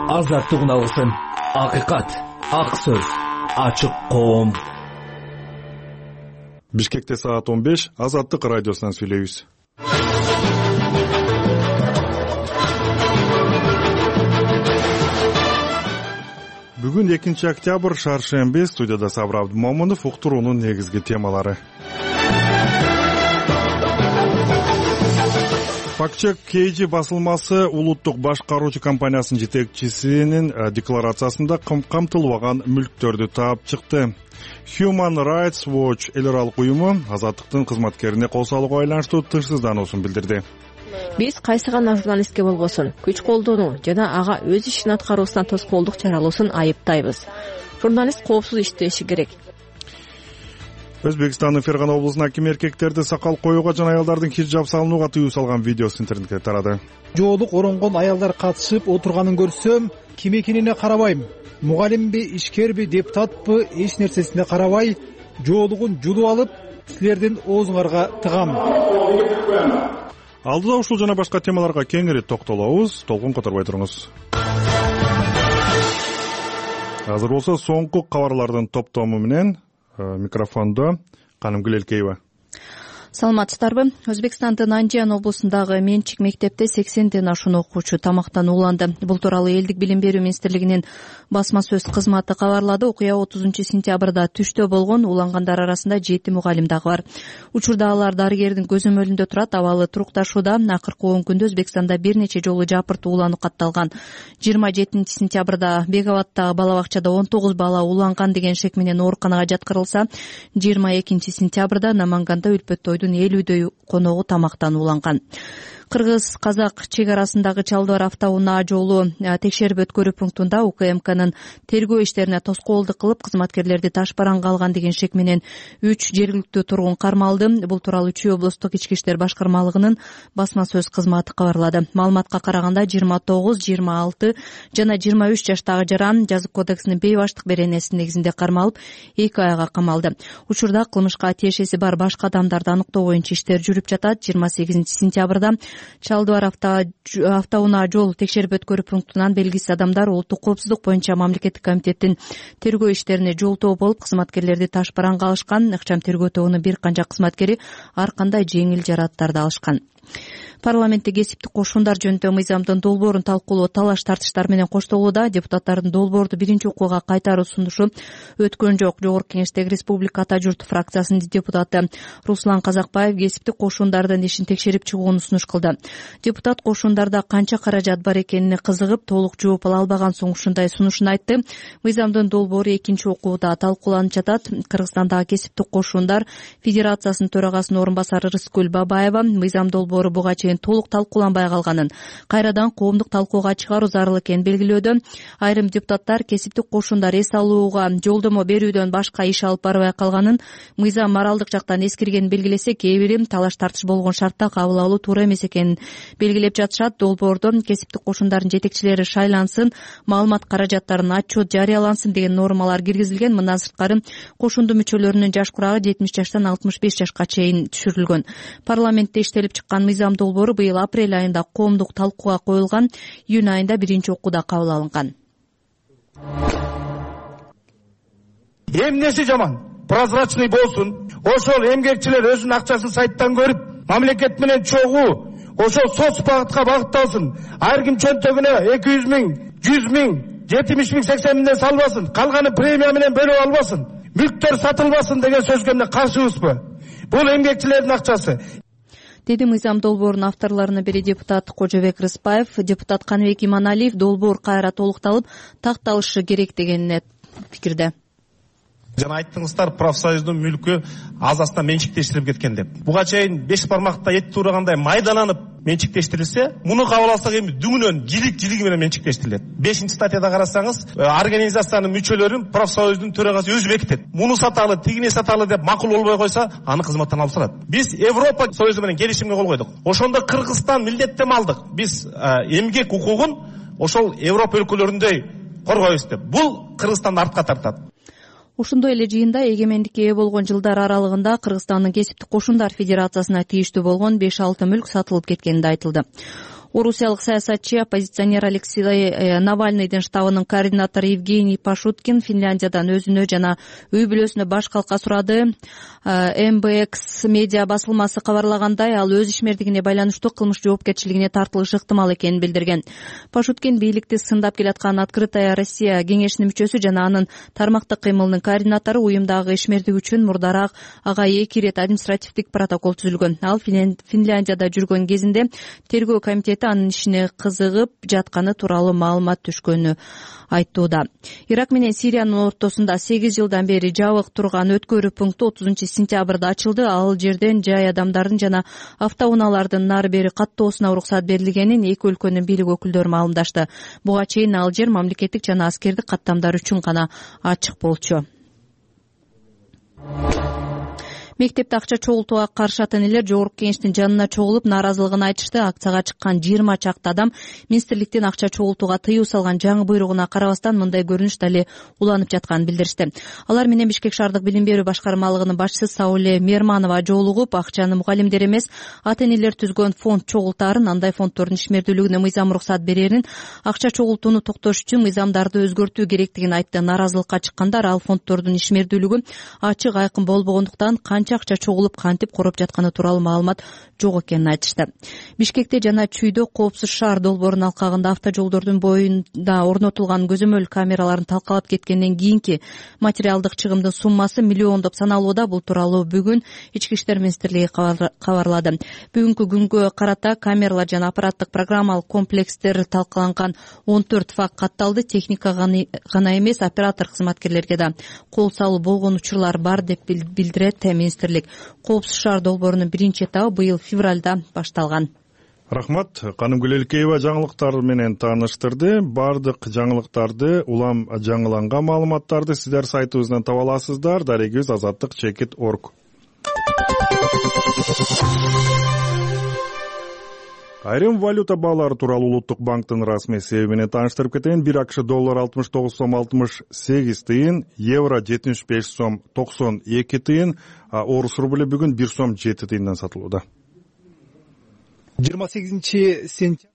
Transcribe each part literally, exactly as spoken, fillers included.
азаттык уналсын, акыйкат, ак сөз, ачык коом. Бишкекте саат он беш, Азаттык радиосунан сүйлөйбүз. Бүгүн экинчи октябрь, шаршемби. Студияда Сабыр Абдымомунов. Уктуруунун негизги темалары. Фактчек Кейджи басылмасы улуттук башкаруучу компаниясынын жетекчисинин декларациясында камтылбаган мүлктөрдү таап чыкты. Human Rights Watch эл аралык уюму азаттыктын кызматкерине кол салууга байланыштуу тынчсыздануусун билдирди. Биз кайсы гана журналистке болбосун күч колдонуу жана ага өз ишин аткаруусуна тоскоолдук чаралоосун айыптайбыз. Журналист коопсуз иштеши керек. Өзбекстандын Фергана облусунун акими эркектерди сакал коюуга жана аялдардын хиджаб салынууга тыюу салган видеосу интернетке тарады. Жоолук оронгон аялдар катышып отурганын көрсөм, ким экенине карабайм. Мугалимби, ишкерби, депутатпы, эч нерсесине карабай, жоолугун жулуп алып, силердин оозуңарга тыгам. Алдыда ушул жана башка темаларга кеңири токтолобуз. Толкун которбой туруңуз. Азыр болсо соңку кабарлардын топтому менен микрофондо Канымгүл Элкеева. Саламатсыздарбы? Өзбекстандын Анжан облусундагы менчик мектепте сексенден ашуун окуучу тамактан ууланды. Бул тууралуу элдик билим берүү министрлигинин басма сөз кызматы кабарлады. Окуя отузунчу сентябрда түштө болгон, уулангандар арасында жети мугалим дагы бар. Учурда алар дарыгердин көзөмөлүндө турат, абалы турукташууда. Акыркы он күндө Өзбекстанда бир нече жолу жапырт уулануу катталган. жыйырма жетинчи сентябрда Беговаттагы бала бакчада он тогуз бала ууланган деген шек менен ооруканага жаткырылса, жыйырма экинчи сентябрда Наманганда Үлпөттөйдүн элүүдөй коногу тамактан ууланган. Кыргыз-казак чек арасындагы Чалдыбар автоунаа жолу текшерип өткөрүү пунктунда УКМКнын тергөө иштерине тоскоолдук кылып, кызматкерлерди таш бараңга алган деген шек менен үч жергиликтүү тургун кармалды. Бул тууралуу Чүй облустук ички иштер башкармалыгынын басма сөз кызматы кабарлады. Маалыматка караганда жыйырма тогуз, жыйырма алты жана жыйырма үч жаштагы жаран жазык кодексинин бейбаштык беренеси негизинде кармалып, эки айга камалды. Учурда кылмышка тиешеси бар башка адамдарды аныктоо боюнча иштер жүрүп жатат. жыйырма сегизинчи сентябрда Чалдыбар автоунаа жол текшерип өткөрүү пунктунан белгисиз адамдар улуттук коопсуздук боюнча мамлекеттик комитеттин тергөө иштерине жолтоо болуп, кызматкерлерди таш бараңга алышкан. Ыкчам тергөө тобунун бир канча кызматкери ар кандай жеңил жарааттарды алышкан. Парламентте кесиптик кошундар жөнүндө мыйзамдын долбоорун талкуулоо талаш тартыштар менен коштолууда. Депутаттардын долбоорду биринчи окууга кайтаруу сунушу өткөн жок. Жогорку Кеңештеги Республика Ата журт фракциясынын депутаты Руслан Казакбаев кесиптик кошундардын ишин текшерип чыгууну сунуш кылды. Депутат кошундарда канча каражат бар экенине кызыгып, толук жооп ала албаган соң ушундай сунушун айтты. Мыйзамдын долбоору экинчи окууда талкууланып жатат. Кыргызстандагы кесиптик кошундар Федерациясынын төрагасынын орун басары Рыскүл Бабаева мыйзам долбоору буга толук талкууланбай калганын, кайрадан коомдук талкууга чыгаруу зарыл экенин белгилөөдө. Айрым депутаттар кесиптик кошундар эс алууга жолдомо берүүдөн башка иш алып барбай калганын, мыйзам моралдык жактан эскиргенин белгилесе, кээ бири талаш тартыш болгон шартта кабыл алуу туура эмес экенин белгилеп жатышат. Долбоордо кесиптик кошундардын жетекчилери шайлансын, маалымат каражаттарын отчет жарыялансын деген нормалар киргизилген. Мындан сырткары кошунду мүчөлөрүнүн жаш курагы жетимиш жаштан алтымыш беш жашка чейин түшүрүлгөн. Парламентте иштелип чыккан мыйзам долбоору быйыл апрель айында коомдук талкууга коюлган, июнь айында биринчи окууда кабыл алынган. Эмнеси жаман? Прозрачный болсун. Ошол эмгекчилер өзүнүн акчасын сайттан көрүп, мамлекет менен чогуу, ошол соц багытка багытталсын. Ар ким чөнтөгүнө эки жүз миң, жүз миң, жетимиш миң, сексен миңден салбасын. Калганы премия менен бөлүп албасын. Мүлктөр сатылбасын деген сөзгө эмне каршыбызбы? Бул эмгекчилердин акчасы. Деди мыйзам долбоорунун авторлорунун бири депутат Кожобек Рыспаев. Депутат Каныбек Иманалиев долбоор кайра толукталып, такталышы керек дегенине пикирде. Жана айттыңыздар, профсоюздун мүлкү азасына менчиктештирип кеткен деп. Буга чейин беш бармакта эт туурагандай майдаланып менчиктештирилсе, муну кабыл алсак эми дүңүнөн жилик-жилиги менен менчиктештирилет. бешинчи статьяда карасаңыз, организациянын мүчөлөрүн профсоюздун төрагасы өзү бекитет. Муну саталы, тигини саталы деп макул болбой койсо, аны кызматтан алып салат. Биз Европа Союзу менен келишимге кол койдук. Ошондо Кыргызстан милдеттенме алдык. Биз эмгек укугун ошол Европа өлкөлөрүндөй коргойбуз деп. Бул Кыргызстанды артка тартат. Ошондой эле жыйында эгемендикке ээ болгон жылдар аралыгында Кыргызстандын кесиптик кошундар федерациясына тийиштүү болгон беш алты мүлк сатылып кеткени да айтылды. Орусиялык саясатчы, оппозиционер Алексей Навальныйдын штабынын координатору Евгений Пашуткин Финляндиядан өзүнө жана үй бүлөсүнө баш калка сурады. эм бэ экс медиа басылмасы кабарлагандай, ал өз ишмердигине байланыштуу кылмыш жоопкерчилигине тартылышы ыктымал экенин билдирген. Пашуткин бийликти сындап келаткан Открытая Россия кеңешинин мүчөсү жана анын тармактык кыймылынын координатору. Уюмдагы ишмердик үчүн мурдараак ага эки ирет административдик протокол түзүлгөн. Ал Финляндияда жүргөн кезинде тергөө комитети анын ишине кызыгып жатканы тууралуу маалымат түшкөнү айттууда. Ирак менен Сириянын ортосунда сегиз жылдан бери жабык турган өткөрүү пункту отузунчу сентябрда ачылды. Ал жерден жай адамдардын жана автоунаалардын нары бери каттоосуна уруксат берилгенин эки өлкөнүн бийлик өкүлдөрү маалымдашты. Буга чейин ал жер мамлекеттик жана аскердик каттамдар үчүн гана ачык болчу. Мектепте акча чогултууга каршы ата энелер жогорку кеңештин жанына чогулуп нааразылыгын айтышты. Акцияга чыккан жыйырма чакты адам министрликтин акча чогултууга тыюу салган жаңы буйругуна карабастан мындай көрүнүш дале уланып жатканын билдиришти. Алар менен Бишкек шаардык билим берүү башкармалыгынын башчысы Сауле Мерманова жолугуп, акчаны мугалимдер эмес, ата энелер түзгөн фонд чогултаарын, андай фонддордун ишмердүүлүгүнө мыйзам уруксат берерин, акча чогултууну токтош үчүн мыйзамдарды өзгөртүү керектигин айтты. Нааразылыкка чыккандар ал фонддордун ишмердүүлүгү ачык айкын болбогондуктан акча чогулуп кантип короп жатканы тууралуу маалымат жок экенин айтышты. Бишкекте жана Чүйдө коопсуз шаар долбоорунун алкагында автожолдордун боюнда орнотулган көзөмөл камераларын талкалап кеткенден кийинки материалдык чыгымдын суммасы миллиондоп саналууда. Бул тууралуу бүгүн Ички иштер министрлиги кабарлады. Бүгүнкү күнгө карата камералар жана аппараттык программалык комплекстер талкаланган он төрт факт катталды. Техника гана эмес, оператор кызматкерлерге да кол салуу болгон учурлар бар деп билдирет министрлик. Коопсуз шаар долбоорунун биринчи этабы быйыл февралда башталган. Рахмат. Канымгүл Элкеева жаңылыктар менен тааныштырды. Бардык жаңылыктарды, улам жаңыланган маалыматтарды сиздер сайтыбыздан таба аласыздар. Дарегибиз азаттык чекит точка орг. Айрым валюта баалары тууралуу Улуттук банктын расмий себеби менен тааныштырып кетейин. бир акш доллар алтымыш тогуз сом алтымыш сегиз тыйын, евро жетимиш беш сом токсон эки тыйын, а орус рубль бүгүн бир сом жети тыйындан сатылууда. жыйырма сегизинчи сентябрь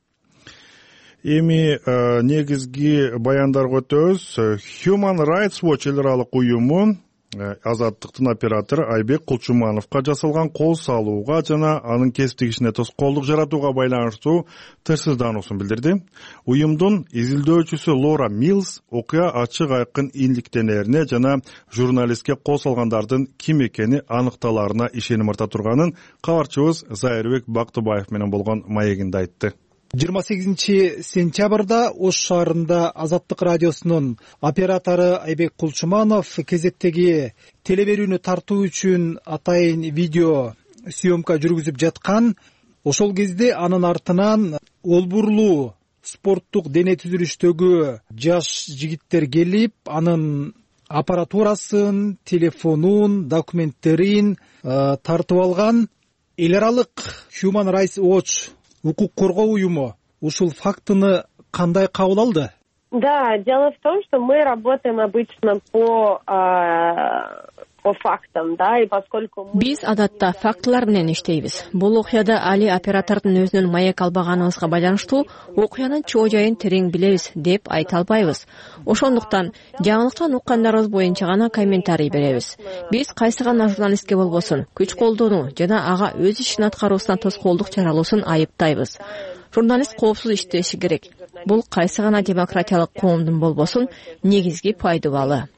Эми негизги баяндарга өтөбүз. Human Rights Watch эл аралык уюму Азаттыктын оператору Айбек Кулчумановго жасалган кол салууга жана анын кесиптик ишине тоскоолдук жаратууга байланыштуу тырсыздануусун билдирди. Уюмдун изилдөөчүсү Лора Милс окуя ачык айкын иликтенерине жана журналистке кол салгандардын ким экени аныкталарына ишеним арта турганын кабарчыбыз Зайырбек Бактыбаев менен болгон маегинде айтты. жыйырма сегизинчи сентябрда Ош шаарында Азаттык радиосунун оператору Айбек Кулчуманов кезектеги теле берүүнү тартуу үчүн атайын видео съемка жүргүзүп жаткан. Ошол кезде анын артынан олбурлуу спорттук дене түзүлүштөгү жаш жигиттер келип, анын аппаратурасын, телефонун, документтерин тартып алган. Эл аралык Human Rights Watch укук коргоо уюму ушул фактыны кандай кабыл алды? Да, дело в том, что мы работаем обычно по по фактам, да, и поскольку мы... Биз адатта фактылар менен иштейбиз. Бул окуяда али оператордун өзүнүн маек албаганыбызга байланыштуу окуянын чоо жайын терең билебиз деп айта албайбыз. Ошондуктан жаңылыктан уккандарыбыз боюнча гана комментарий беребиз. Биз кайсы гана журналистке болбосун күч колдонуу жана ага өз ишин аткаруусунан тоскоолдук чаралоосун айыптайбыз. Журналист коопсуз иштеши керек. Бул кайсы гана демократиялык коомдун болбосун негизги пайдубалы.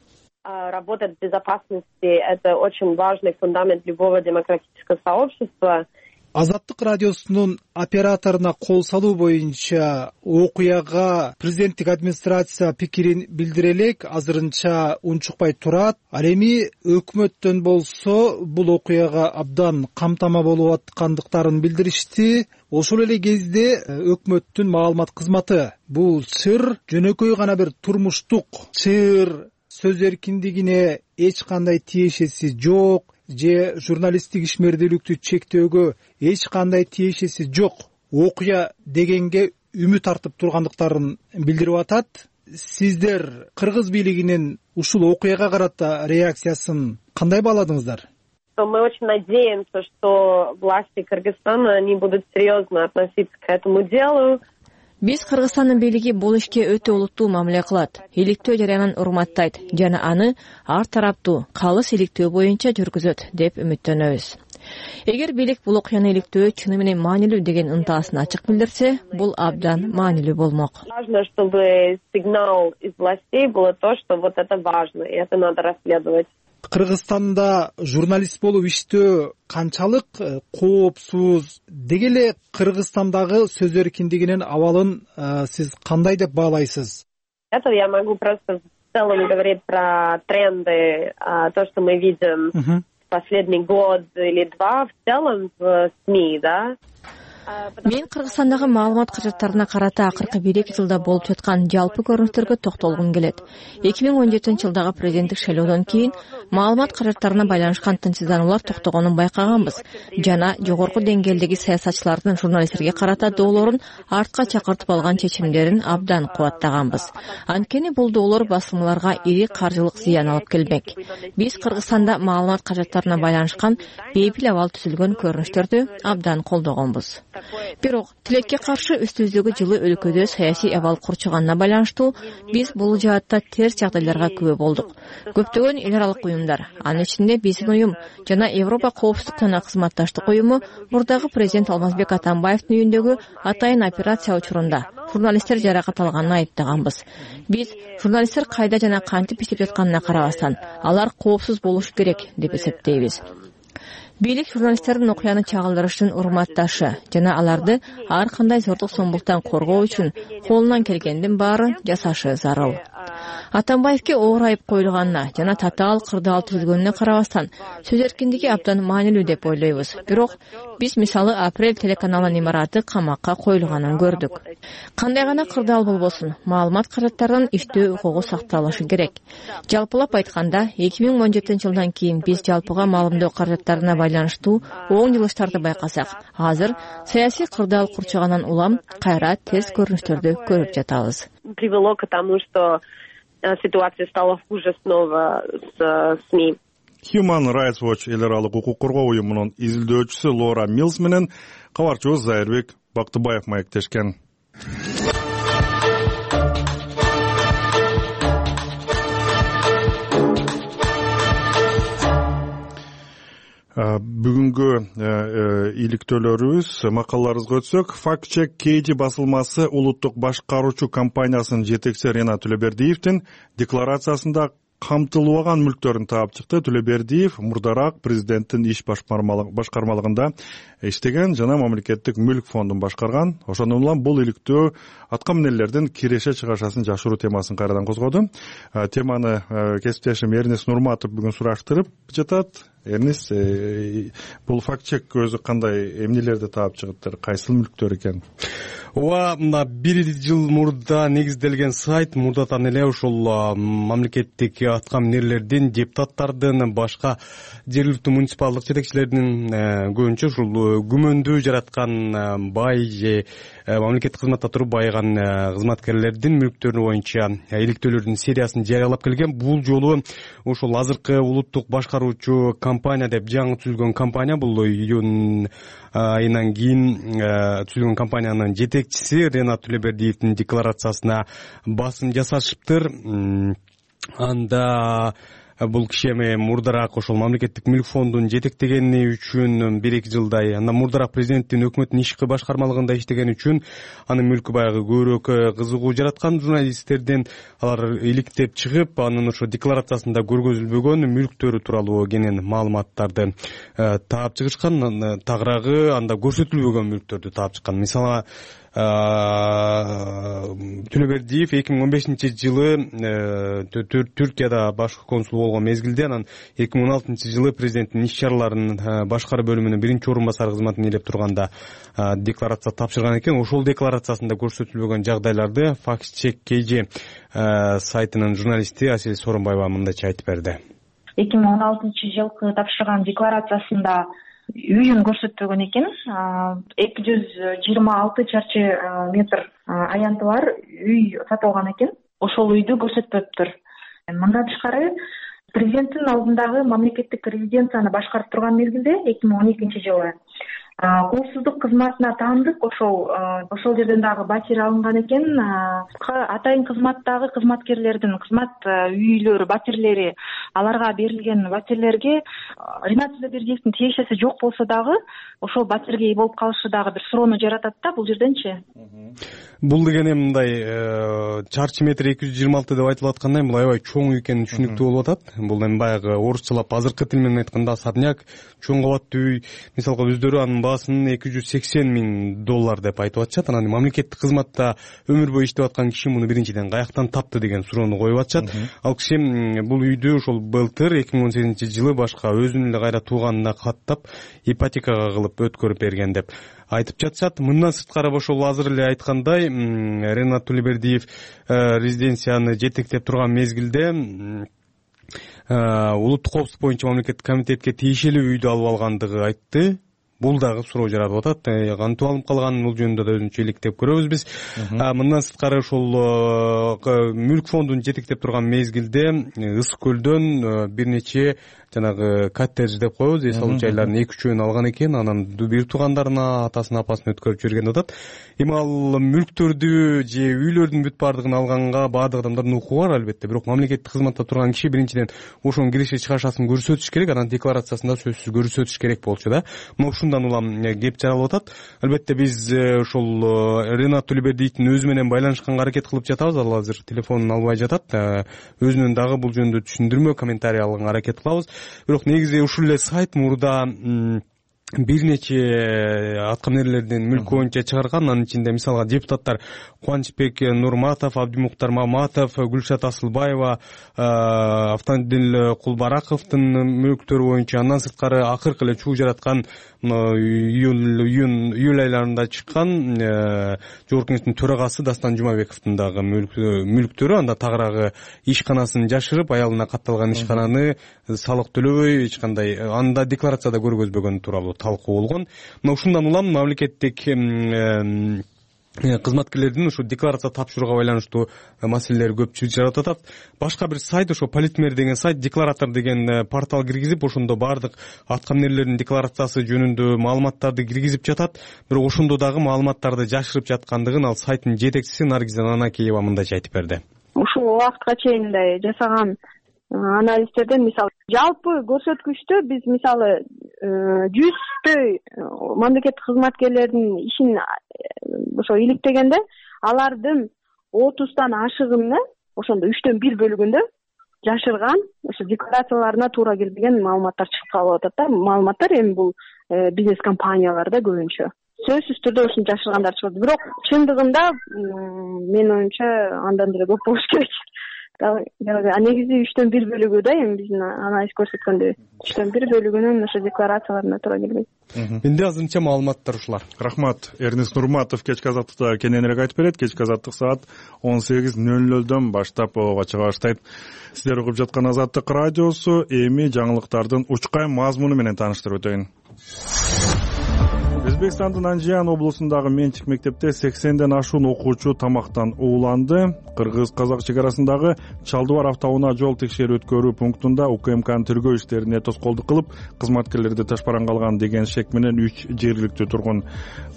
Работа в безопасности – это очень важный фундамент любого демократического сообщества. Азаттык радиосунун операторуна кол салуу боюнча окуяга президенттик администрация пикирин билдире элек, азырынча унчукпай турат. Ал эми өкмөттөн болсо бул окуяга абдан камтама болуп аткандыктарын билдиришти. Ошол эле кезде өкмөттүн маалымат кызматы бул чыр жөнөкөй гана бир турмуштук чыр, сөз эркиндигине эч кандай тиешеси жок же журналисттик ишмердүүлүктү чектөөгө эч кандай тиешеси жок окуя дегенге үмүт артып тургандыктарын билдирип атат. Сиздер кыргыз бийлигинин ушул окуяга карата реакциясын кандай бааладыңыздар? что мы очень надеемся, что власти Кыргызстана они будут серьезно относиться к этому делу. Биз Кыргызстандын бийлиги бул ишке өтө олуттуу мамиле кылат, иликтөө жарыянын урматтайт жана аны ар тараптуу калыс иликтөө боюнча жүргүзөт деп үмүттөнөбүз. Эгер бийлик бул окуяны иликтөө чыны менен маанилүү деген ынтаасын ачык билдирсе, бул абдан маанилүү болмок. Важно, чтобы сигнал из властей было то, что вот это важно, и это надо расследовать. Кыргызстанда журналист болуп иштөө канчалык коопсуз, деги эле Кыргызстандагы сөз эркиндигинин абалын сиз кандай деп баалайсыз? Это я могу просто в целом говорить про тренды, то, что мы видим uh-huh. последний год или два в целом в СМИ, да. Мен Кыргызстандагы маалымат каражаттарына карата акыркы бир эки жылда болуп жаткан жалпы көрүнүштөргө токтолгум келет. эки миң он жетинчи жылдагы президенттик шайлоодон кийин маалымат каражаттарына байланышкан тынчсыздануулар токтогонун байкаганбыз жана жогорку деңгээлдеги саясатчылардын журналисттерге карата доолорун артка чакыртып алган чечимдерин абдан кубаттаганбыз. Анткени бул доолор басылмаларга ири каржылык зыян алып келмек. Биз Кыргызстанда маалымат каражаттарына байланышкан бейпил абал түзүлгөн көрүнүштөрдү абдан колдогонбуз. Бирок тилекке каршы үстүбүздөгү жылы өлкөдө саясий абал курчуганына байланыштуу биз бул жаатта терс жагдайларга күбө болдук. Көптөгөн эл аралык уюмдар, анын ичинде биздин уюм жана Европа коопсуздук жана кызматташтык уюму мурдагы президент Алмазбек Атамбаевдин үйүндөгү атайын операция учурунда журналисттер жаракат алганын айыптаганбыз. Биз журналисттер кайда жана кантип иштеп жатканына карабастан алар коопсуз болушу керек деп эсептейбиз. Бийлик журналисттердин окуяны чагылдырыштын урматташы жана аларды ар кандай зордук зомбулуктан коргоо үчүн колунан келгендин баарын жасашы зарыл. Атамбаевке оор айып коюлганына жана татаал кырдаал түзүлгөнүнө карабастан сөз эркиндиги абдан маанилүү деп ойлойбуз. Бирок биз мисалы Апрель телеканалынын имараты камакка коюлганын көрдүк. Кандай гана кырдаал болбосун, маалымат каражаттарынын иштөө укугу сакталышы керек. Жалпылап айтканда, эки миң он жетинчи жылдан кийин биз жалпыга маалымдоо каражаттарына байланыштуу оң жылыштарды байкасак, азыр саясий кырдаал курчагандан улам кайра терс көрүнүштөрдү көрүп жатабыз. Привело к тому, что ситуация стала хуже снова с СМИ. Human Rights Watch эл аралык укук коргоо уюмунун изилдөөчүсү Лора Милс менен кабарчыбыз Зайырбек Бактыбаев маектешкен. Бүгүнгү иликтөөлөрүбүз макалаларыбызга өтсөк, Fact Check кей джи басылмасы улуттук башкаруучу компаниясынын жетекчиси Ренат Төлөбердиевдин декларациясында камтылбаган мүлктөрүн таап чыкты. Төлөбердиев мурдараак президенттин иш башкармалыгында иштеген жана мамлекеттик мүлк фондун башкарган. Ошондон улам бул иликтөө аткаминерлердин киреше чыгашасын жашыруу темасын кайрадан козгоду. Теманы кесиптешим Эрнис Нурматов бүгүн сураштырып жатат. Эрнис, бул факт-чек өзү кандай эмнелерди таап чыгыптыр, кайсыл мүлктөр экен? Ооба, мына бир жыл мурда негизделген сайт мурдатан эле ушул мамлекеттик аткаминерлердин, депутаттардын, башка жергиликтүү муниципалдык жетекчилеринин көбүнчө ушул күмөндүү жараткан бай же мамлекеттик кызматта туруп байыган кызматкерлердин мүлктөрү боюнча иликтөөлөрдүн сериясын жарыялап келген. Бул жолу ушул азыркы улуттук башкаруучу компания деп жаңы түзүлгөн компания, бул июнь айынан кийин түзүлгөн компаниянын жетекчиси Ренат Төлөбердиевдин декларациясына басым жасашыптыр. Анда бул киши эми мурдараак ошол мамлекеттик мүлк фондун жетектегени үчүн бир эки жылдай, андан мурдараак президенттин өкмөттүн ишки башкармалыгында иштегени үчүн анын мүлкү баягы көбүрөөк кызыгуу жараткан. Журналисттерден алар иликтеп чыгып, анын ошо декларациясында көргөзүлбөгөн мүлктөрү тууралуу кенен маалыматтарды таап чыгышкан. Тагыраагы анда көрсөтүлбөгөн мүлктөрдү таап чыккан. Мисалы, Төлөбердиев эки миң он бешинчи жылы Түркияда башкы консул болгон мезгилде, анан эки миң он алтынчы жылы президенттин иш чараларынын башкаруу бөлүмүнүн биринчи орун басары кызматын ээлеп турганда декларация тапшырган экен. Ошол декларациясында көрсөтүлбөгөн жагдайларды Fact Check кей джи сайтынын журналисти Асель Сооронбаева мындайча айтып берди. эки миң он алтынчы жылкы тапшырган декларациясында үйүн көрсөтпөгөн экен. эки жүз жыйырма алты чарчы метр аянты бар үй сатылган экен. Ошол үйдү көрсөтпөптүр. Мындан тышкары президенттин алдындагы мамлекеттик резиденцияны башкарып турган мезгилде эки миң он экинчи жылы коопсуздук кызматына таандык. Ошол ошол жерден дагы батир алынган экен. Атайын кызматтагы кызматкерлердин кызмат үйлөрү, батирлери, аларга берилген батирлерге Ринат Зубердиевдин тиешеси жок болсо дагы ошол батирге ээ болуп калышы дагы бир суроону жаратат да бул жерденчи. Бул деген эми мындай чарчы метр эки жүз жыйырма алты деп айтылып аткандай, бул аябай чоң экени түшүнүктүү болуп атат. Бул эми баягы орусчалап азыркы тил менен айтканда особняк, чоң кабаттуу үй. Мисалга өздөрү анын баасын эки жүз сексен миң доллар деп айтып атышат. Анан мамлекеттик кызматта өмүр бою иштеп аткан киши муну биринчиден каяктан тапты деген суроону коюп атышат. Ал киши бул үйдү ошол былтыр эки миң он сегизинчи жылы башка өзүнүн эле кайра тууганына каттап ипотекага кылып өткөрүп берген деп айтып жатышат. Мындан сырткары ошол азыр эле айткандай Ринат Тулебердиев резиденцияны жетектеп турган мезгилде улуттук коопсуздук боюнча мамлекеттик комитетке тиешелүү үйдү алып алгандыгы айтты. Бул дагы суроо жаратып атат. Кантип алып калган, бул жөнүндө да өзүнчө иликтеп көрөбүз биз. Мындан сырткары ошол мүлк фондун жетектеп турган мезгилде Ысык көлдөн бир нече жанагы коттедж деп коебуз, эс алуу жайлардын эки үчөөнү алган экен. Анан бир туугандарына, атасын, апасын өткөрүп жиберген атат. Эми ал мүлктөрдү же үйлөрдүн бүт баардыгын алганга баардык адамдардын укугу бар албетте. Бирок мамлекеттик кызматта турган киши биринчиден ошонун киреше чыгашасын көрсөтүш керек, анан декларациясында сөзсүз көрсөтүш керек болчу да. Мына ушундан улам кеп жаралып атат. Албетте биз ошол Ринат Тулебердиевдин өзү менен байланышканга аракет кылып жатабыз. Ал азыр телефонун албай жатат. Өзүнөн дагы бул жөнүндө түшүндүрмө, комментарий алганга аракет кылабыз. Бирок негизи ушул эле сайт мурда бир нече аткаминерлердин мүлкү боюнча чыгарган. Анын ичинде мисалга депутаттар Кубанычбек Нурматов, Абдимуктар Маматов, Гүлшат Асылбаева, Автандил Кулбараковдун мүлктөрү боюнча, андан сырткары акыркы эле чуу жараткан июль айларында чыккан Жогорку Кеңештин төрагасы Дастан Жумабековдун дагы мүлктөрү. Анда тагыраагы ишканасын жашырып, аялына катталган ишкананы салык төлөбөй эч кандай анда декларацияда көргөзбөгөн тууралуу талкуу болгон. Мына ушундан улам мамлекеттик кызматкерлердин ушу декларация тапшырууга байланыштуу маселелер көп жаратып атат. Башка бир сайт, ошо Политмер деген сайт, декларатор деген портал киргизип, ошондо баардык аткаминерлердин декларациясы жөнүндө маалыматтарды киргизип жатат. Бирок ошондо дагы маалыматтарды жашырып жаткандыгын ал сайттын жетекчиси Наргиза Нанакеева мындайча айтып берди. Ушул убакытка чейин мындай жасаган анализтерден мисалы жалпы көрсөткүчтө биз мисалы жүздөй мамлекеттик кызматкерлердин ишин ошо иликтегенде алардын отуздан ашыгында ошондо үчтөн бир бөлүгүндө жашырган ошо декларацияларына туура келбеген маалыматтар чыгып калып атат да. Маалыматтар эми бул бизнес компанияларда көбүнчө сөзсүз түрдө ушуну жашыргандар чыгат. Бирок чындыгында менин оюмча андан деле көп болуш керек. Негизи үчтөн бир бөлүгү да эми биздин анализ көрсөткөндөй үчтөн бир бөлүгүнүн ошо декларацияларына туура келбейт. Энди азырынча маалыматтар ушулар. Рахмат. Эрнест Нурматов кечки азаттыкта кененирээк айтып берет. Кечки азаттык саат он сегиз нөл нөлдөн баштап чыга баштайт. Сиздер угуп жаткан Азаттык радиосу. Эми жаңылыктардын учкай мазмуну менен тааныштырып өтөйүн. Өзбекстандын Анжиян облусундагы менчик мектепте сексенден ашуун окуучу тамактан ууланды. Кыргыз-казак чек арасындагы Чалдыбар автоунаа жол текшерүү өткөрүү пунктунда УКМКнын тергөө иштерине тоскоолдук кылып, кызматкерлерди ташпаранга алган деген шек менен үч жергиликтүү тургун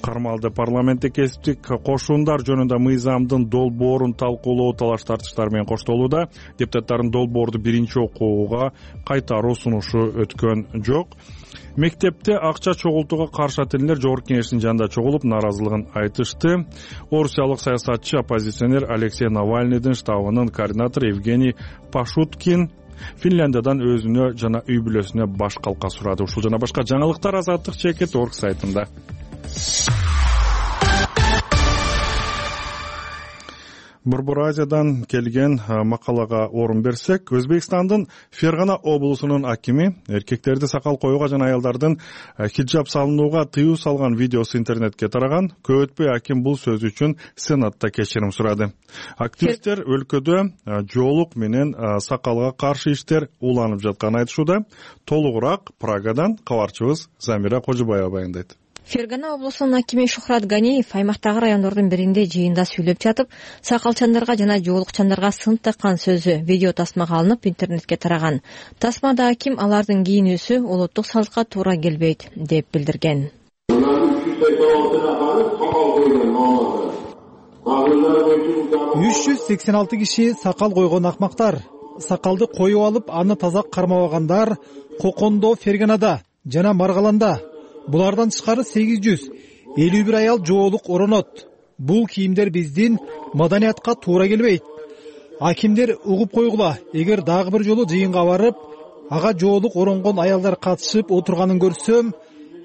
кармалды. Парламентте кесиптик кошуундар жөнүндө мыйзамдын долбоорун талкуулоо талаш тартыштар менен коштолууда. Депутаттардын долбоорду биринчи окууга кайтаруу сунушу өткөн жок. Мектепте акча чогултууга каршы ателер Жогорку Кеңештин жанында чогулуп, нааразылыгын айтышты. Орусиялык саясатчы, оппозиционер Алексей Навальныйдын штабынын координатору Евгений Пашуткин Финляндиядан өзүнө жана үй бүлөсүнө баш калка сурады. Ушул жана башка жаңылыктар Азаттык чекит орг сайтында. Борбор Азиядан келген макалага орун берсек, Өзбекстандын Фергана облусунун акими эркектерди сакал коюуга жана аялдардын хиджаб салынууга тыюу салган видеосу интернетке тараган. Көп өтпөй аким бул сөзү үчүн Сенатта кечирим сурады. Активисттер өлкөдө жоолук менен сакалга каршы иштер уланып жатканын айтышууда. Толугураак Прагадан кабарчыбыз Замира Кожубаева баяндайт. Фергана облусунун акими Шухрат Ганиев аймактагы райондордун биринде жыйында сүйлөп жатып, сакалчандарга жана жоолукчандарга сын таккан сөзү видео тасмага алынып интернетке тараган. Тасмада аким алардын кийинүүсү улуттук салтка туура келбейт деп билдирген. үч жүз сексен алты киши сакал койгон акмактар. Сакалды коюп алып, аны таза кармабагандар Кокондо, Ферганада жана Маргаланда. Булардан тышкары сегиз жүз элүү бир аял жоолук оронот. Бул кийимдер биздин маданиятка туура келбейт. Акимдер угуп койгула, эгер дагы бир жолу жыйынга барып, ага жоолук оронгон аялдар катышып отурганын көрсөм,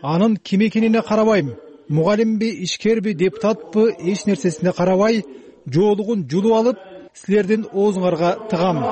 анын ким экенине карабайм. Мугалимби, ишкерби, депутатпы, эч нерсесине карабай, жоолугун жулуп алып, силердин оозуңарга тыгам.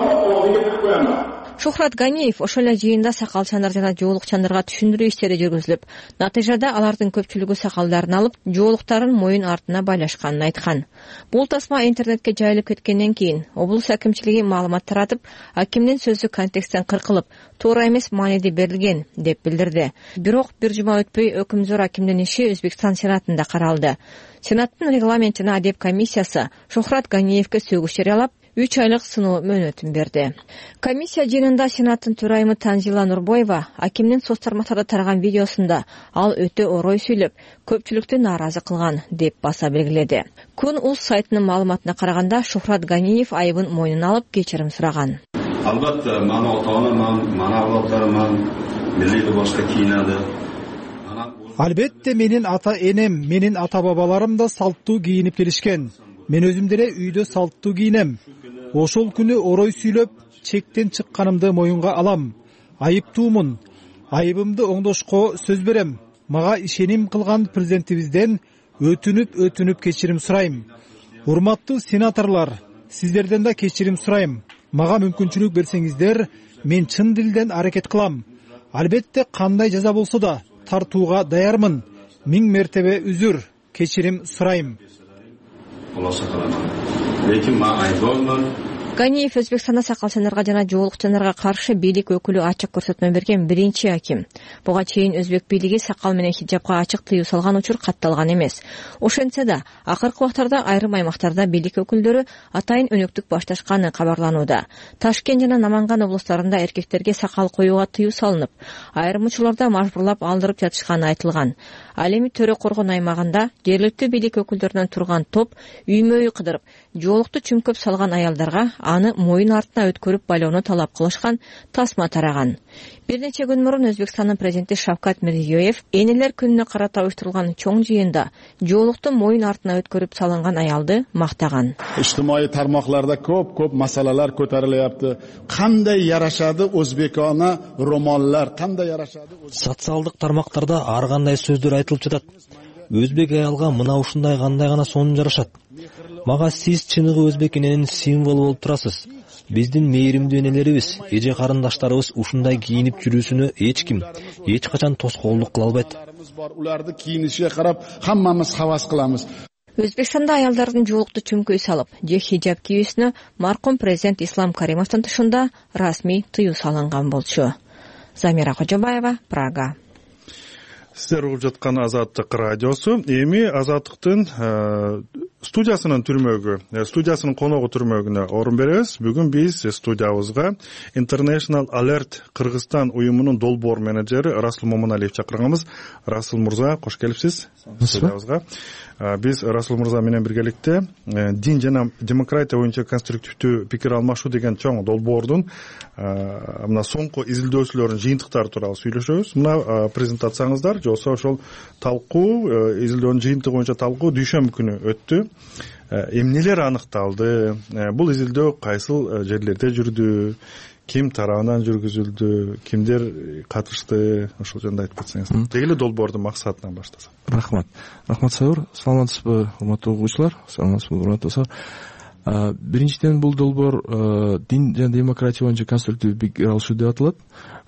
Шухрат Ганиев ошол эле жыйында сакалчандар жана жоолукчандарга түшүндүрүү иштери жүргүзүлүп, натыйжада алардын көпчүлүгү сакалдарын алып, жоолуктарын моюн артына байлашканын айткан. Бул тасма интернетке жайылып кеткенден кийин облус акимчилиги маалымат таратып, акимдин сөзү контексттен кыркылып, туура эмес мааниде берилген деп билдирди. Бирок бир жума өтпөй өкүмзөр акимдин иши Өзбекстан Сенатында каралды. Сенаттын регламент жана адеп комиссиясы Шухрат Ганиевке сөгүш жарыялап, үч айлык сыноо мөөнөтүн берди. Комиссия жыйынында Сенаттын төрайымы Танзила Нурбоева акимдин соц тармактарда тараган видеосунда ал өтө орой сүйлөп, көпчүлүктү нааразы кылган деп баса белгиледи. Күн.уз сайтынын маалыматына караганда Шухрат Ганиев айыбын мойнуна алып кечирим сураган. Албетте, мана ota-onam, мана авлоддарым, милли башка кийинadi. Албетте, менин ата-энем, менин ата-бабаларым да салттуу кийинип келишкен. Мен өзүм деле үйдө салттуу кийинем. Ошол күнү орой сүйлөп, чектен чыкканымды моюнга алам. Айыптуумун. Айыбымды оңдошко сөз берем. Мага ишеним кылган президентибизден өтүнүп өтүнүп кечирим сурайм. Урматтуу сенаторлор, сиздерден да кечирим сурайм. Мага мүмкүнчүлүк берсеңиздер, мен чын дилден аракет кылам. Албетте, кандай жаза болсо да тартууга даярмын. Миң мертебе үзүр, кечирим сурайм. Ганиев Өзбекстанда сакалчандарга жана жоолукчандарга каршы бийлик өкүлү ачык көрсөтмө берген биринчи аким. Буга чейин өзбек бийлиги сакал менен хиджабка ачык тыюу салган учур катталган эмес. Ошентсе да, акыркы убактарда айрым аймактарда бийлик өкүлдөрү атайын өнөктүк башташканы кабарланууда. Ташкент жана Наманган облустарында эркектерге сакал коюуга тыюу салынып, айрым учурларда мажбурлап алдырып жатышканы айтылган. Ал эми Төрө Коргон аймагында жергиликтүү бийлик өкүлдөрүнөн турган топ үймө-үй кыдырып, жоолукту чүмкөп салган аялдарга аны моюн артына өткөрүп байлоону талап кылышкан тасма тараган. Бир нече күн мурун Өзбекстандын президенти Шавкат Мирзиёев энелер күнүнө карата уюштурулган чоң жыйында жоолукту моюн артына өткөрүп салынган аялды мактаган. Ижтимаий тармактарда көп-көп маселелер көтөрүлөптү. Кандай ярашады өзбекона романдар, кандай ярашады? Социалдык тармактарда ар кандай сөздөр айтылып жатат. Өзбек аялга мына ушундай кандай гана сонун жарашат. Мага сиз чыныгы өзбек эненин символу болуп турасыз. Биздин мээримдүү энелерибиз, эже карындаштарыбыз ушундай кийинип жүрүүсүнө эч ким, эч качан тоскоолдук кыла албайт. Уларды кийинишке карап, хаммамыз хавас кылабыз. Өзбекстанда аялдардын жоолукту чүмкөй салып, же хиджаб кийүүсүнө маркум президент Ислам Каримовдун тышында расмий тыюу салынган болчу. Замира Кожобаева, Прага. Сиздер угуп жаткан Азаттык радиосу. Эми Азаттыктын студиясынын түрмөгү, студиясынын коногу түрмөгүнө орун беребиз. Бүгүн биз студиябызга International Alert Кыргызстан уюмунун долбоор менеджери Расул Момуналиев чакырганбыз. Расул мырза, кош келипсиз студиябызга. Биз Расул мырза менен биргеликте дин жана демократия боюнча конструктивдүү пикир алмашуу деген чоң долбоордун мына соңку изилдөөчүлөрүнүн жыйынтыктары тууралуу сүйлөшөбүз. Мына презентацияңыздар жолсо ошол талкуу, изилдөөнүн жыйынтыгы боюнча талкуу дүйшөмбү күнү өттү. Эмнелер аныкталды? Бул изилдөө кайсыл жерлерде жүрдү? Ким тарабынан жүргүзүлдү? Кимдер катышты? Ошол жөнүндө айтып кетсеңиз. Деги эле долбоордун максатынан баштасак. Рахмат. Рахмат Саур. Саламатсызбы, урматтуу угуучулар? Саламатсызбы, урматтуу достор. Биринчиден, бул долбоор дин жана демократия боюнча конструктивдүү пикир алышуу деп аталат.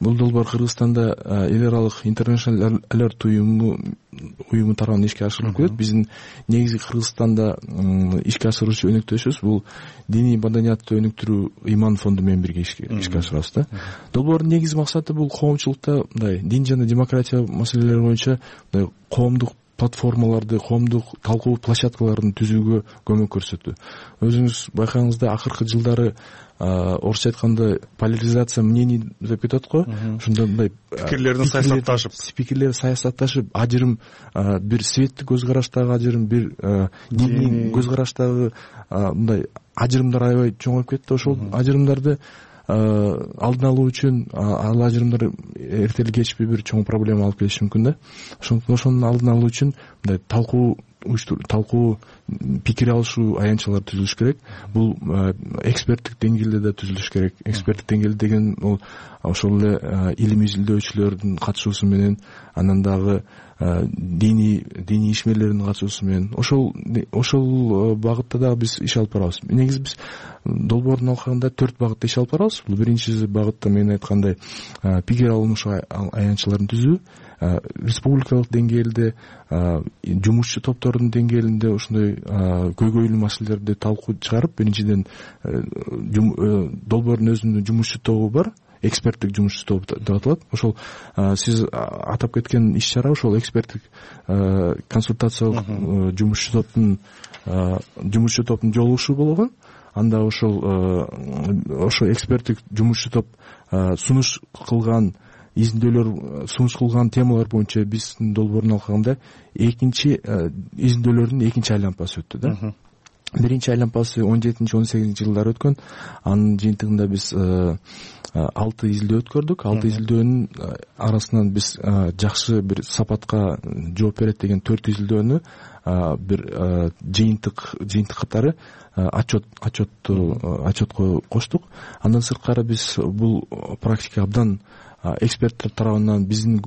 Бул долбоор Кыргызстанда эл аралык International Alert уюму уюму тарабынан ишке ашырылып келет. Биздин негизги Кыргызстанда ишке ашыруучу өнөктөшүбүз бул диний маданиятты өнүктүрүү иман фонду менен бирге ишке ашырабыз да. Долбоордун негизги максаты бул коомчулукта мындай дин жана демократия маселелери боюнча мындай коомдук платформаларды, коомдук талкуу площадкаларын түзүүгө көмөк көрсөтүү. Өзүңүз байкагаңызда акыркы жылдары орусча айтканда поляризация мнений деп кетет го. Ошондо мындай пикирлердин саясатташып, пикирлер саясатташып, ажырым бир светтик көз караштагы ажырым, бир диний көз караштагы мындай ажырымдар аябай чоңоюп кетти. Ошол ажырымдарды алдын алуу үчүн ал ажырымдар эрте эле кечпи бир чоң проблема алып келиши мүмкүн да. Ошонун алдын алуу үчүн мындай талкуу талкуу пикир алышуу аянтчалар түзүлүш керек. Бул эксперттик деңгээлде да түзүлүш керек. Эксперттик деңгээл деген бул ошол эле илим изилдөөчүлөрдүн катышуусу менен, анан дагы диний диний ишмерлердин катышуусу менен ошол ошол багытта дагы биз иш алып барабыз. Негизи биз долбоордун алкагында төрт багытта иш алып барабыз. Бул биринчи багытта мен айткандай пикир алмашуу аянтчаларын түзүү, республикалык деңгээлде жумушчу топтордун деңгээлинде ошондой көйгөйлүү маселелерди талкуу чыгарып, биринчиден долбоордун өзүнүн жумушчу тобу бар, эксперттик жумушчу топ деп аталат. Ошол сиз атап кеткен иш-чара ошол эксперттик консультациялык жумушчу топтун жумушчу топтун жолугушуу болгон. Анда ошол ошо эксперттик жумушчу топ сунуш кылган изилдөөлөр сунуш кылган темалар боюнча биздин долбоордун алкагында экинчи изилдөөлөрдүн экинчи айланпасы өттү да. Биринчи айланпасы он жетинчи он сегизинчи жылдары өткөн. Анын жыйынтыгында биз алты изилдөө өткөрдүк. Алты изилдөөнүн арасынан биз жакшы бир сапатка жооп берет деген төрт изилдөөнү бир жыйынтык жыйынтык катары отчет отчетту отчетко коштук. Андан сырткары биз бул практика абдан эксперттер тарабынан, биздин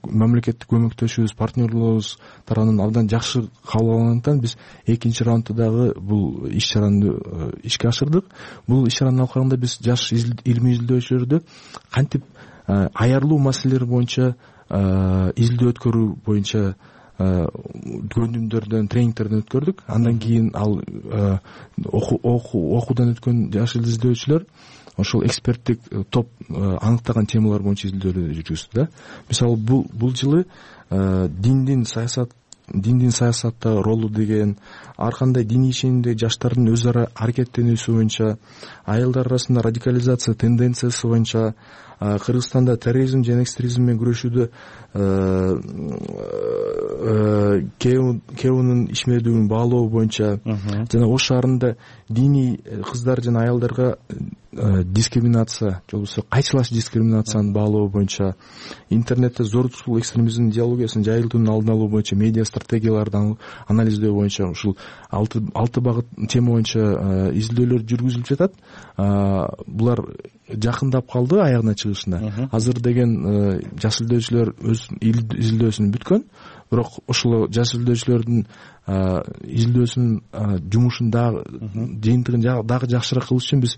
мамлекеттик көмөктөшүбүз, партнерлорубуз тарабынан абдан жакшы кабыл алынгандыктан биз экинчи раундда дагы бул иш-чараны ишке ашырдык. Бул иш-чаранын алкагында биз жаш илимий изилдөөчүлөрдү кантип аярлуу маселелер боюнча изилдөө өткөрүү боюнча көндүмдөрдөн, тренингтерден өткөрдүк. Андан кийин ал окуудан өткөн жаш изилдөөчүлөр ошол эксперттик топ аныктаган темалар боюнча изилдөөлөр жүргүздү да. Мисалы бул бул жылы диндин саясат диндин саясатта ролу деген, ар кандай диний ишенимдеги жаштардын өз ара аракеттенүүсү боюнча, аялдар арасында радикализация тенденциясы боюнча, Кыргызстанда терроризм жана экстремизм менен күрөшүүдө кеунун ишмердүүлүгүн баалоо боюнча жана Ош шаарында диний кыздар жана аялдарга дискриминация, же болбосо кайчылаш дискриминацияны баалоо боюнча, интернетте зордуктуу экстремизм идеологиясын жайылтуунун алдын алуу боюнча медиа стратегияларды анализдөө боюнча ушул алты алты багыт тема боюнча изилдөөлөр жүргүзүлүп жатат. Булар жакындап калды аягына чыгышына. Азыр деген жаш изилдөөчүлөр өз изилдөөсүн бүткөн, бирок ошол жаш изилдөөчүлөрдүн изилдөөсүнүн жумушун дагы жыйынтыгын дагы жакшыраак кылыш үчүн биз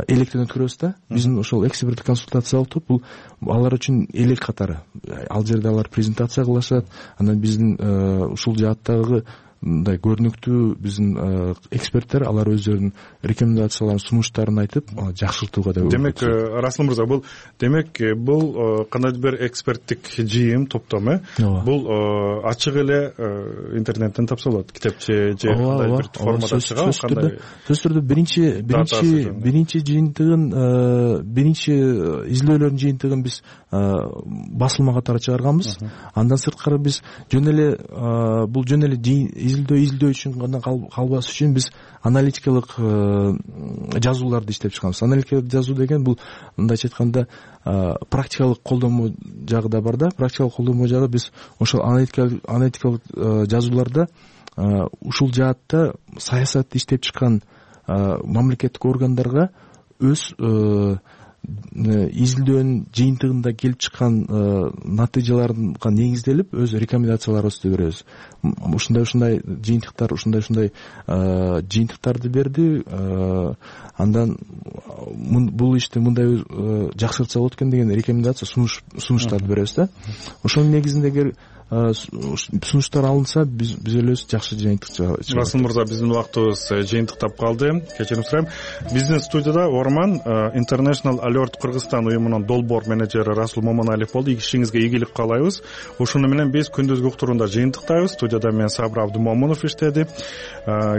электен өткөрөбүз да. Биздин ошол эксперттик консультациялык топ бул алар үчүн элек катары. Ал жерде алар презентация кылышат. Анан биздин ушул жааттагы мындай көрүнүктүү биздин эксперттер алар өздөрүнүн рекомендацияларын, сунуштарын айтып жакшыртууга да. Демек, Расул мырза, бул демек бул кандайдыр бир эксперттик жыйын, топтом э? Бул ачык эле интернеттен тапса болот, китепче же кандай бир формада чыгабы, кандай? Сөзсүз түрдө биринчи биринчи биринчи жыйынтыгын, биринчи изилдөөлөрдүн жыйынтыгын биз басылма катары чыгарганбыз. Андан сырткары биз жөн эле бул жөн эле изилдөө изилдөө үчүн гана калбас үчүн биз аналитикалык жазууларды иштеп чыгабыз. Аналитикалык жазуу деген бул мындайча айтканда практикалык колдонмо жагы да бар да. Практикалык колдонмо жагы биз ошол аналитикалык жазууларда ушул жаатта саясатты иштеп чыккан мамлекеттик органдарга өз изилдөөнүн жыйынтыгында келип чыккан натыйжаларга негизделип өз рекомендацияларыбызды беребиз. Ушундай ушундай жыйынтыктар ушундай ушундай жыйынтыктарды берди, андан бул ишти мындай жакшыртса болот экен деген рекомендация сунуштарды беребиз да. Ошонун негизинде сунуштар алынса биз биз элебиз жакшы жыйынтык чыгабыз. Расул мырза, биздин убактыбыз жыйынтыктап калды. Кечирим сурайм. Биздин студияда Орман International Alert Кыргызстан уюмунун долбоор менеджери Расул Момоналиев болду. Ишиңизге ийгилик каалайбыз. Ошону менен биз күндүзгү уктурууда жыйынтыктайбыз. Студияда мен Сабыр Абдумомунов иштеди.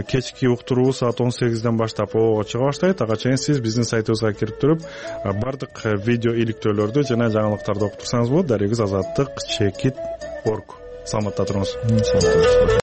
Кечки уктуруу саат он сегизден баштап ого чыга баштайт. Ага чейин сиз биздин сайтыбызга кирип туруп бардык видео иликтөөлөрдү жана жаңылыктарды окуп турсаңыз болот. Дарегиз азаттык чекит орг. Саламатта туруңуз.